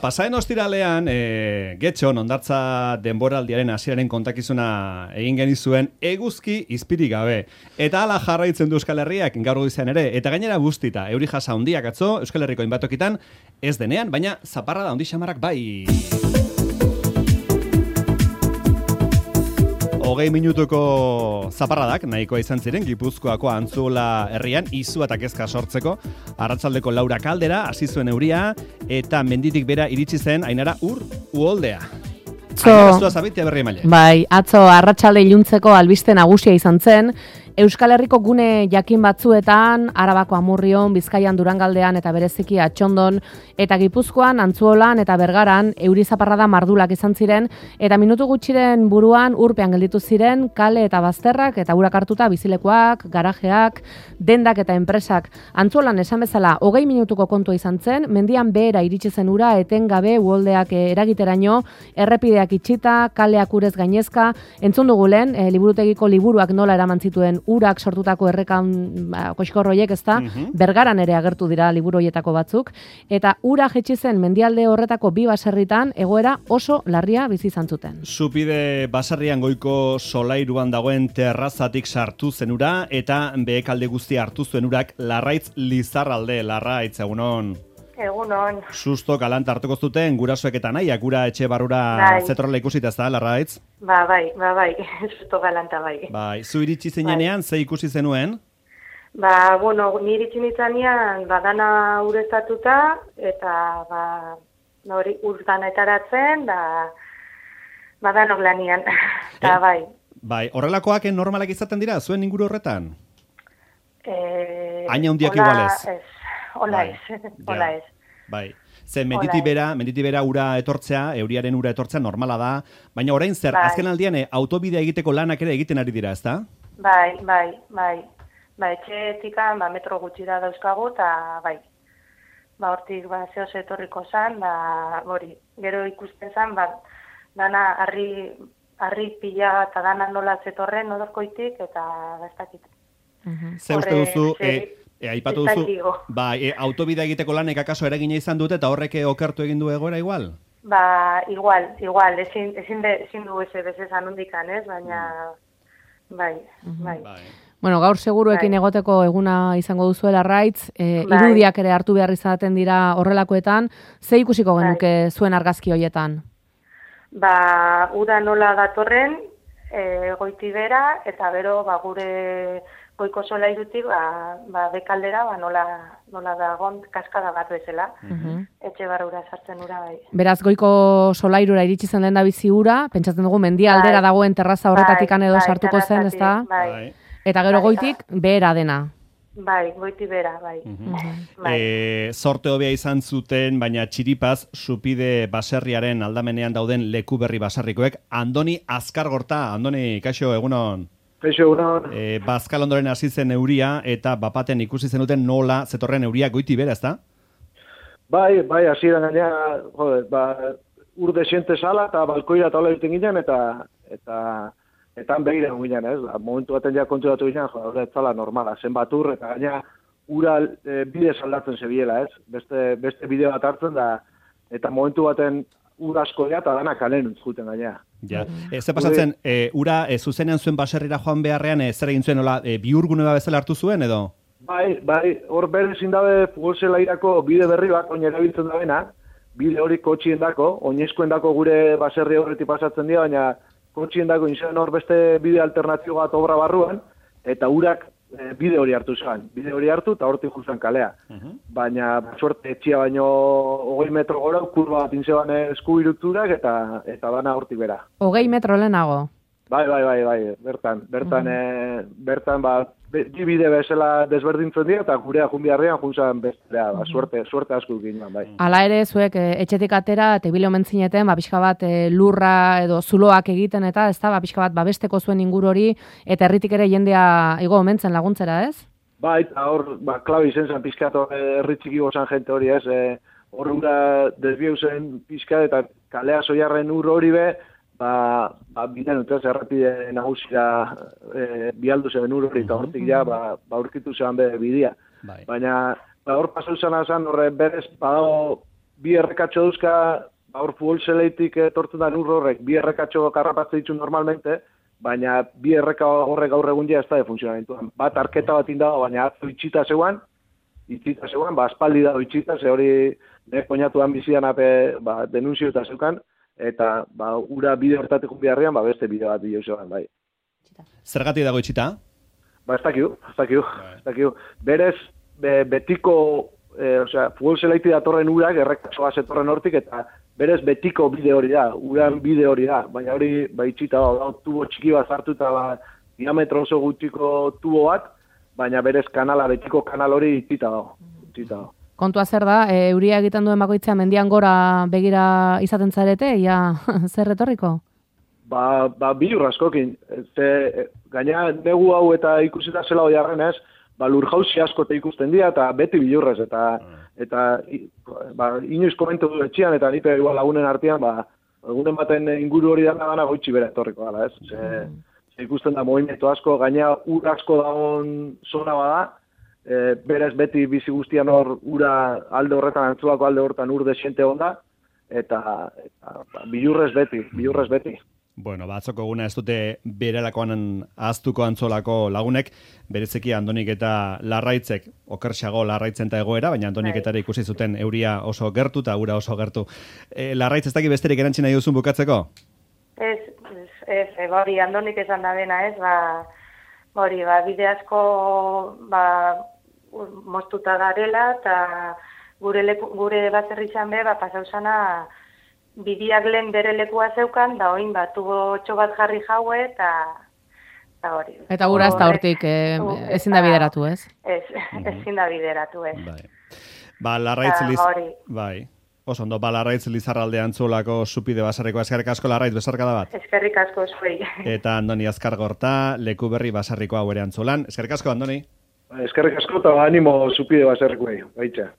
Pasaden ostiralean, Getxon hondartza denboraldiaren hasieraren kontakizuna egin genizuen eguzki izpirik gabe. Eta hala jarraitzen du Euskal Herriak gaur goizean ere. Eta gainera bustita, euri jasa handiak atzo, Euskal Herriko hainbatokitan ez denean, baina zaparra da handi xamarrak bai. 20 minutuko zaparradak nahikoa izan ziren Gipuzkoako Antzuola herrian izu eta kezka sortzeko. Arratsaldeko 4 kaldera hasi zuen euria eta menditik bera iritsi zen Ainara uholdea. Bai, atzo arratsalde iluntzeko albiste nagusia izan zen. Euskal Herriko gune jakin batzuetan, Arabako Amurrion, Bizkaian, Durangaldean eta bereziki Atxondon eta Gipuzkoan, Antzuolan eta Bergaran euri zaparrada mardulak izan ziren eta minutu gutxiren buruan urpean gelditu ziren kale eta bazterrak eta urak hartuta bizilekoak, garajeak, dendak eta enpresak. Antzuolan esan bezala 20 minutuko kontua izan zen, mendian behera iritsi zen ura etengabe uholdeak eragiteraino, errepideak itxita, kaleak urez gainezka, entzun dugu lehen, liburutegiko liburuak nola eraman zituen urak sortutako errekan koxkorroiek, ezta, Bergaran ere agertu dira liburu horietako batzuk, eta ura jetxi zen mendialde horretako 2 baserritan egoera oso larria bizi izan zuten. Zupide baserrian goiko solairuan dagoen terrazatik sartu zen ura, eta behekalde guztia hartu zuen urak Larraitz Lizarralde, Larraitz, egunon. Egunon. Susto galanta hartuko zuten gurasoek eta nahiak ura etxe barrura zetorrela ikusita, ez da, Larraitz? Bai, susto galanta bai. Bai, zu iritsi zenean, ze ikusi zenuen? Ni iritsi nitzanean, dana ureztatuta, eta, hori urzan etaratzen, danok lanian, eta bai. Bai, horrelakoak normalak izaten dira, zuen inguru horretan? Aina hundiak igualez. Hola ez. Bai. Zen menditik bera ura etortzea, euriaren ura etortzea normala da, baina orain zer, azken aldian autobidea egiteko lanak ere egiten ari dira, ezta? Bai. Etxeetikan metro gutxira dauzkagu, eta bai. Hortik zehoz etorriko zan, hori, gero ikusten zan, dana harri pila eta dana nola zetorren odorkoitik, eta gaztakit. Ze uste duzu... aipatu duzu, autobidea egiteko lanek akaso eragina izan dute eta horrek okertu egin du egoera igual? Igual, ezin du bezezan hundikan, ez? Baina, bai. Bueno, gaur seguruekin egoteko eguna izango duzuela Larraitz, irudiak ere hartu behar izaten dira horrelakoetan, ze ikusiko genuke zuen argazki hoietan? Ura nola datorren, goiti bera, eta bero, gure goiko solairutik, bekaldera, nola dagon kaskada bat bezala, etxe barrura sartzen ura bai. Beraz, goiko solairura iritsi zen lehen da bizi ura, pentsatzen dugu mendia aldera dagoen terraza horretatik edo sartuko zen, ezta? Eta gero goitik, behera dena. Bai, goiti bera, bai. Zorte hobea izan zuten, baina txiripaz, Zupide baserriaren aldamenean dauden leku berri baserrikoek, Andoni Azkargorta, Andoni, kaixo, egunon? Kaixo, egunon. Bazkal ondoren hasi zen euria, eta bapaten ikusi zenuten nola zetorren euria goiti bera, ezta? Bai, hasi da gainea, urde xente sala, eta balkoira eta hola egiten ginen, eta begira ginen, ez? Momentu baten ja konturatu ginen, hori ez zala normala, zenbat ur, eta gainea ura bide saldatzen zebiela, ez? Beste bide bat hartzen da, eta momentu baten ur asko dira, eta dana kalen untzuten gainea. Ja, ze pasatzen, ura zuzenean zuen baserrira joan beharrean, zer egin zuen, bihurgune bezala hartu zuen, edo? Bai, hor berezin dabe futbolzelairako bide berri bat, oin erabiltzen dabena, bide hori kotxien dako, oinezkoen dako gure baserri horreti pasatzen dira, baina kotxien dako inzen hor beste bide alternatibo bat obra barruan, eta urak bide hori hartu zan. Bide hori hartu eta hortik juzan kalea. Baina, suerte, etxia baino 20 metro gora, kurba bat inzeban eskubiruturak eta dana hortik bera. 20 metro lehenago? Bai, bertan, bide bezala desberdintzen dira, eta gurea junbiarrean juntzan bestera, suerte asko ginen, bai. Hala ere, zuek etxetik atera, tebile omen zineten, pixka bat lurra edo zuloak egiten eta, ez da, pixka bat babesteko zuen inguru hori, eta herritik ere jendea igo omentzen laguntzera, ez? Bai, eta hor, klabi izen zen pixka herritxiki gozan jente hori, ez? Hor ura desbieu zen pixka eta kalea soiarren ur hori be, biden utaz errapide nagusira bialdu zen ur hori eta hortik ja, aurkitu zen bidea. Baina hor pasu izan horre berez badago bi errekatxo duzka, hor futbol zeleitik etortzen da ur horrek, bi errekatxo karrapatze ditu normalmente, baina bi erreka horrek gaur egun ez da funtzionamentuan. Bat arketa bat indago, baina atzo itxita zeuan, aspaldi dago itxita, ze hori koñatuan bizian denunzio eta zeukan, eta ura bide hortatik biharrian, beste bide bat bideo zeuan, bai. Zergatik dago itxita? Ez dakiu. Berez, betiko, futbol zelaiti datorren urak, errekatsoa zetorren hortik, eta berez betiko bide hori da, uran bide hori da, baina hori itxita da, tubo txiki bat zartu eta diametro oso gutxiko tubo bat, baina berez betiko kanal hori itxita da. Kontua zer da, euria egiten duen bakoitzea mendian gora begira izaten zarete, zer retorriko? Bilur askokin. Gaina negu hau eta ikusita zela hori arrenez, lur jauzi asko ikusten dira, eta beti bilurrez, eta inoiz komentu du etxian, eta nipe lagunen artean, lagunen baten inguru hori dana goitxi bera etorriko gala, ez? Ikusten da movimentu asko, gaina ur asko dagoen zona bada, berez beti bizi guztian hor ura alde horretan, antzulako alde horretan ur desiente onda, eta bilurrez beti. Bueno, atzoko eguna ez dute berelakoan ahaztuko Antzolako lagunek, berezeki Andonik eta Larraitzek, okerxago Larraitzen eta egoera, baina Andonik eta ikusi zuten euria oso gertu eta ura oso gertu. Larraitz ez daki besterik erantzina nahi duzun bukatzeko? Hori Andonik esan da dena, ez, bide asko moztuta garela, eta gure baserritxan be, pasauzana, bidiak lehen bere lekua zeukan, da oin tubo txo bat jarri jaue, eta hori. Eta gura ez da hortik ezin da bideratu, ez? Ezin da bideratu, ez. Bai. Oso ondo, Larraitz Lizarralde Antzolako Zupide Basarriko. Eskerrik asko, Larraitz, besarkada bat. Eskerrik asko, zuei. Eta Andoni Azkargorta, Leku Berri Basarriko hau ere Antzolan. Eskerrik asko, Andoni. Eskerrik asko, eta animo Zupide Basarrikoei, baitza.